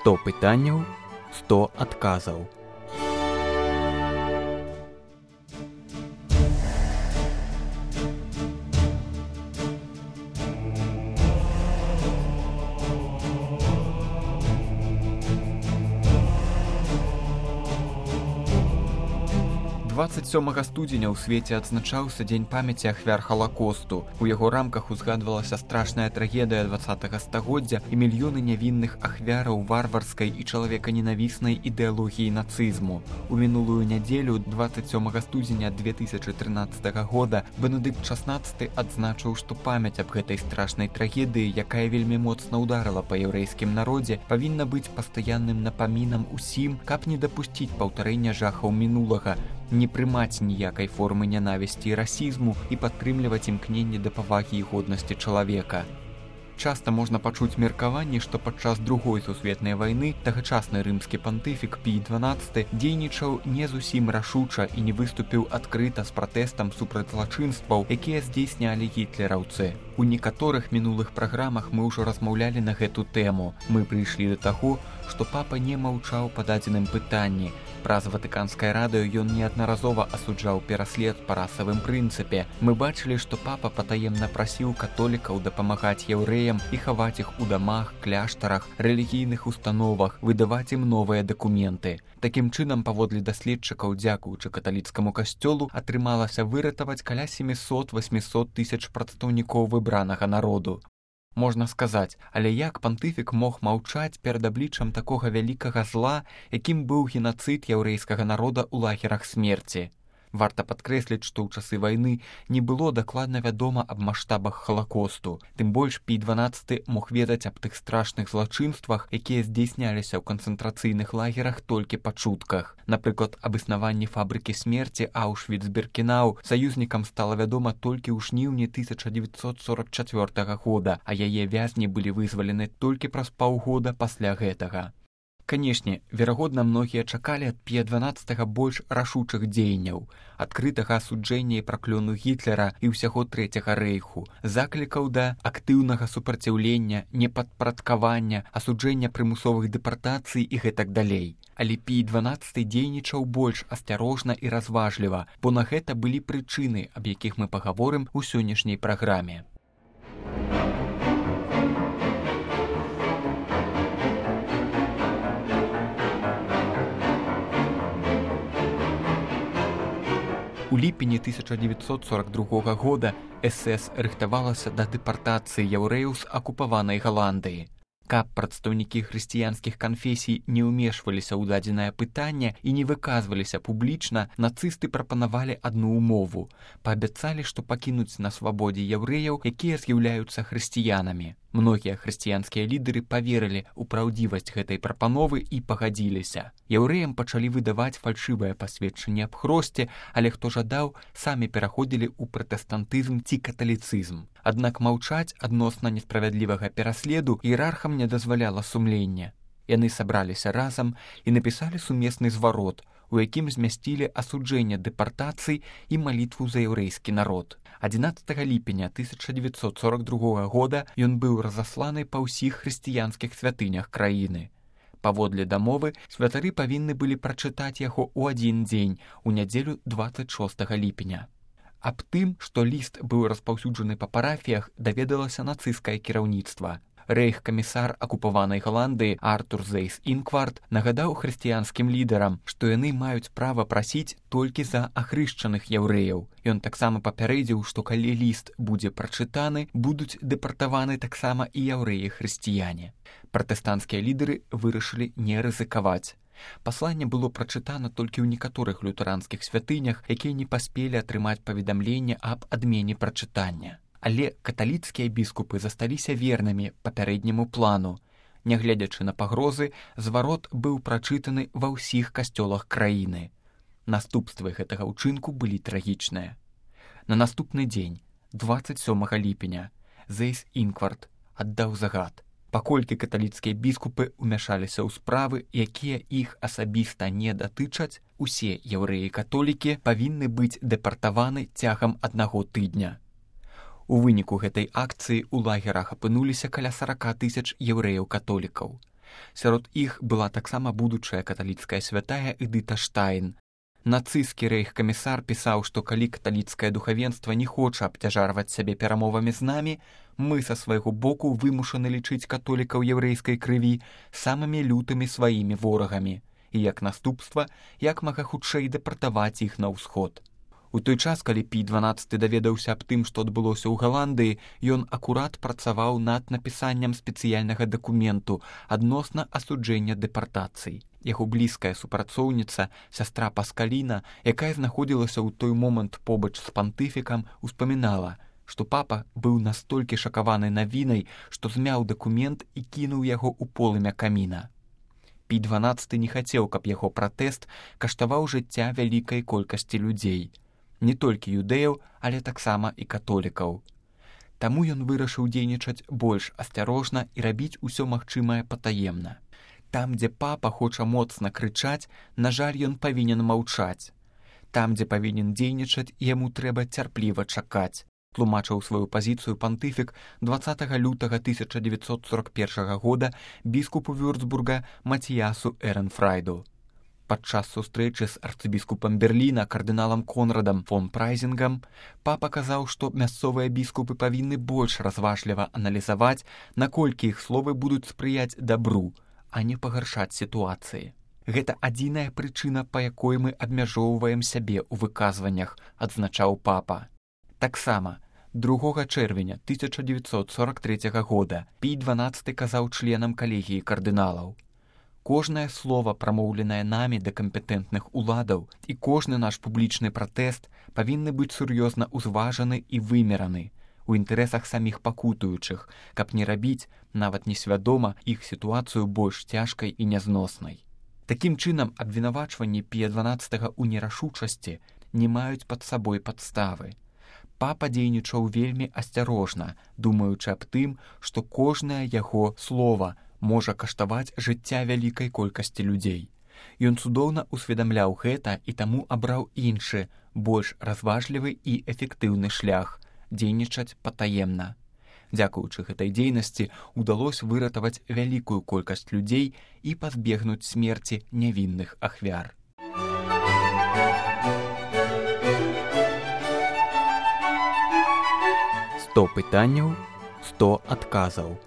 100 пытанняў, 100 адказаў. Студзеня ў свеце адзначаўся Дзень памяці ахвяр Халакосту. У яго рамках узгадвалася страшная трагедыя 20-га стагоддзя і мільёны нявінных ахвяраў варварскай і чалавеканенавіснай ідэалогіі нацызму. У мінулую нядзелю, 27 студзеня 2013 года, Бенедыкт XVI адзначыў, што памяць аб гэтай страшнай трагедыі, якая вельмі моцна ўдарыла па яўрэйскім народзе, павінна быць пастаянным напамінам усім, каб не дапусціць паўтарэння жахаў мінулага, не прымаць ніякай формы нянавісці і расізму і падтрымліваць імкненне да павагі і годнасці чалавека. Часта можна пачуць меркаванні, што падчас Другой сусветнай вайны тагачасны рымскі пантыфік Пій XII дзейнічаў не зусім рашуча і не выступіў адкрыта з пратэстам супраць злачынстваў, якія здзейснялі гітлераўцы. У некаторых мінулых праграмах мы ўжо размаўлялі на гэту тэму. Мы прыйшлі да таго, што папа не маўчаў па дадзеным пытанні. Праз Ватыканскае радыё ён неаднаразова асуджаў пераслед па расавым прынцыпе. Мы бачылі, што папа патаемна прасіў католікаў дапамагаць яўрэям і хаваць іх у дамах, кляштарах, рэлігійных установах, выдаваць ім новыя дакументы. Такім чынам, паводле даследчыкаў, дзякуючы каталіцкаму касцёлу, атрымалася выратаваць каля 700-800 тысяч прадстаўнікоў выбранага народу. Можна сказаць, але як пантыфік мог маўчаць перад абліччам такога вялікага зла, якім быў генацыд яўрэйскага народа ў лагерах смерці? Варта падкрэсліць, што ў часы вайны не было дакладна вядома аб маштабах Халакосту. Тым больш Пій XII мог ведаць аб тых страшных злачынствах, якія здзейсняліся ў канцэнтрацыйных лагерах толькі па чутках. Напрыклад, аб існаванні фабрыкі смерці Аўшвіц-Біркенау саюзнікам стала вядома толькі ў жніўні 1944 года, а яе вязні былі вызвалены толькі праз паўгода пасля гэтага. Канешне, верагодна, многія чакалі ад Пія XII больш рашучых дзеянняў, адкрытага асуджэння і праклёну Гітлера і ўсяго Трэцяга рэйху, заклікаў да актыўнага супраціўлення, непадпарадкавання, асуджэння прымусовых дэпартацый і гэтак далей. Але Пій XII дзейнічаў больш асцярожна і разважліва, бо на гэта былі прычыны, аб якіх мы пагаворым у сённяшняй праграме. У ліпені 1942 года СС рыхтавалася да дэпартацыі яўрэяў з акупаванай Галандыі. Каб прадстаўнікі хрысціянскіх канфесій не ўмешваліся ў дадзенае пытанне і не выказваліся публічна, нацысты прапанавалі адну ўмову. Паабяцалі, што пакінуць на свабодзе яўрэяў, якія з'яўляюцца хрысціянамі. Многія хрысціянскія лідары паверылі ў праўдзівасць гэтай прапановы і пагадзіліся. Яўрэям пачалі выдаваць фальшывае пасведчанне аб хросце, але хто жадаў, самі пераходзілі ў пратэстантызм ці каталіцызм. Аднак маўчаць адносна несправядлівага пераследу іерархам не дазваляла сумленне. Яны сабраліся разам і напісалі сумесны зварот, у якім змясцілі асуджэнне дэпартацый і малітву за яўрэйскі народ. 11 ліпеня 1942 года ён быў разасланы па ўсіх хрысціянскіх святынях краіны. Паводле дамовы, святары павінны былі прачытаць яго ў адзін дзень, у нядзелю 26 ліпеня. Аб тым, што ліст быў распаўсюджаны па парафіях, даведалася нацысцкае кіраўніцтва. Рэйх-камісар акупаванай Галандыі Артур Зейс-Інкварт нагадаў хрысціянскім лідарам, што яны маюць права прасіць толькі за ахрышчаных яўрэяў. Ён таксама папярэдзіў, што калі ліст будзе прачытаны, будуць дэпартаваны таксама і яўрэі-хрысціяне. Пратэстанцкія лідары вырашылі не рызыкаваць. Пасланне было прачытана толькі ў некаторых лютэранскіх святынях, якія не паспелі атрымаць паведамленне аб адмене прачытання. Але каталіцкія біскупы засталіся вернымі папярэдняму плану. Нягледзячы на пагрозы, зварот быў прачытаны ва ўсіх касцёлах краіны. Наступствы гэтага ўчынку былі трагічныя. На наступны дзень, 27 ліпеня, Зейс-Інкварт аддаў загад. Паколькі каталіцкія біскупы ўмяшаліся ў справы, якія іх асабіста не датычаць, усе яўрэі-католікі павінны быць дэпартаваны цягам 1 тыдня. У выніку гэтай акцыі ў лагерах апынуліся каля 40 тысяч яўрэяў-католікаў. Сярод іх была таксама будучая каталіцкая святая Эдыта Штайн. Нацысцкі рэйхкамісар пісаў, што калі каталіцкае духавенства не хоча абцяжарваць сябе перамовамі з намі, мы са свайго боку вымушаны лічыць католікаў яўрэйскай крыві самымі лютымі сваімі ворагамі і, як наступства, як мага хутчэй дэпартаваць іх на ўсход. У той час, калі Пій XII даведаўся аб тым, што адбылося ў Галандыі, ён акурат працаваў над напісаннем спецыяльнага дакументу адносна асуджэння дэпартацый. Яго блізкая супрацоўніца, сястра Паскаліна, якая знаходзілася ў той момант побач з пантыфікам, успамінала, што папа быў настолькі шакаваны навінай, што змяў дакумент і кінуў яго ў полымя каміна. Пій XII не хацеў, каб яго пратэст каштаваў жыцця вялікай колькасці людзей. Не толькі юдэяў, але таксама і католікаў. Таму ён вырашыў дзейнічаць больш асцярожна і рабіць усё магчымае патаемна. Там, дзе папа хоча моцна крычаць, на жаль, ён павінен маўчаць. Там, дзе павінен дзейнічаць, яму трэба цярпліва чакаць, тлумачыў сваю пазіцыю пантыфік 20 лютага 1941 года біскупу Вюрцбурга Матіясу Эренфрайду. Падчас сустрэчы з арцыбіскупам Берліна кардыналам Конрадам фон Прайзінгам папа казаў, што мясцовыя біскупы павінны больш разважліва аналізаваць, наколькі іх словы будуць спрыяць дабру, а не пагаршаць сітуацыі. Гэта адзіная прычына, па якой мы абмяжоўваем сябе ў выказваннях, адзначаў папа. Таксама 2 чэрвеня 1943 года Пій XII казаў членам калегіі кардыналаў: кожнае слово, прамоўленае намі да кампетэнтных уладаў, і кожны наш публічны пратэст павінны быць сур'ёзна ўзважаны і вымераны у інтарэсах саміх пакутуючых, каб не рабіць, нават несвядома, іх сітуацыю больш цяжкай і нязноснай. Такім чынам, абвінавачванні Пія XII ў нерашучасці не маюць пад сабой падставы. Папа дзейнічаў вельмі асцярожна, думаючы аб тым, што кожнае яго слова можа каштаваць жыцця вялікай колькасці людзей. Ён цудоўна ўсведамляў гэта і таму абраў іншы, больш разважлівы і эфектыўны шлях – дзейнічаць патаемна. Дзякуючы гэтай дзейнасці удалося выратаваць вялікую колькасць людзей і пазбегнуць смерці нявінных ахвяр. «100 пытанняў, 100 адказаў».